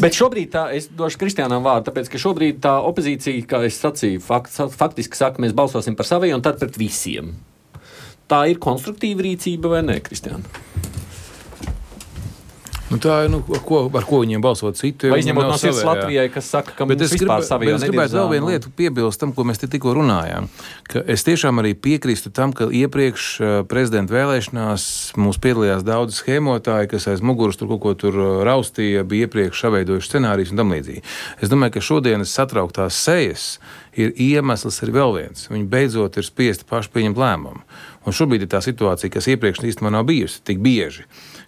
Bet šobrīd es došu Kristiānam vārdu, tāpēc, ka šobrīd tā opozīcija, kā es sacīju, faktiski saka, mēs balsosim par saviem un tad pret visiem. Tā ir konstruktīva rīcība vai ne, Kristiāna? Tā ir, ar ko viņiem balsot citu. Vai izņemot no sirds Latvijai, kas saka, ka mums vispār savie es gribētu vēl vienu lietu piebilst tam, ko mēs te tikko runājām. Ka es tiešām arī piekrīstu tam, ka iepriekš prezidenta vēlēšanās mums piedalījās daudz schēmotāji, kas aiz muguras tur kaut ko tur raustīja, bija iepriekš saveidojuši scenārijus un tam līdzīgi. Es domāju, ka šodienas satrauktās sejas ir iemesls arī vēl viens. Viņi beidzot ir spiesti paši pieņemt lēmumu. Un šobrīd ir tā situācija, kas iepriekš īstenībā nav bijusi tik bieži,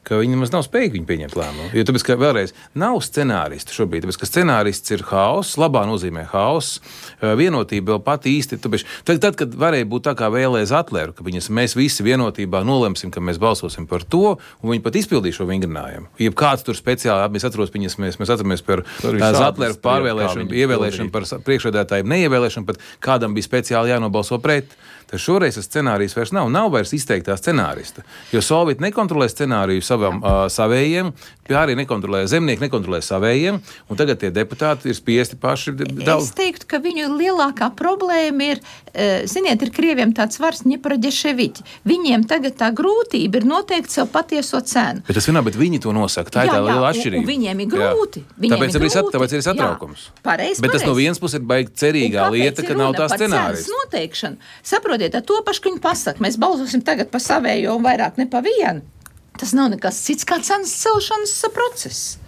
ka viņi nemaz nav spējīgi pieņemt lēmumu. Jo tāpēc, ka vēlreiz nav scenāristi šobrīd, tāpēc, ka scenārists ir haoss, labā nozīmē haoss, vienotība vēl pat īsti. Tāpēc, tad, kad varēja būt tā kā vēlēs Atleru, ka mēs visi vienotībā nolemsim, ka mēs balsosim par to, un viņi pat izpildīja šo vingrinājumu. Ja kāds tur speciāli, mēs atceramies par Atleru pārvēlēšanu, ievēlēšanu par priekšsēdētāju neievēlēšanu, pat kādam bija speciāli jānobalso pret. Tad šoreiz tas scenārijs vairs nav vairs izteiktā scenārista, jo Solvit nekontrolē scenāriju savējiem, arī nekontrolē zemnieki, nekontrolē savējiem, un tagad tie deputāti ir spiesti paši daudz. Es teiktu, ka viņu lielākā problēma ir, ir krieviem tāds vārds Ņeproģeševiķi. Viņiem tagad tā grūtība ir noteikt sev patieso cenu. Bet viņi to nosaka, tā ir tā liela atšķirība. Un viņiem ir grūti. Tāpēc ir satraukums. Pareizi. Bet tas no vienas puses ir baigi cerīgā lieta, ka nav tā scenārijas. Saprotiet, ar to pašu, ka viņi pasaka, mēs balsosim tagad pa savējo un vairāk ne pa vienu. Tas nav nekas cits kā cenas celšanas process.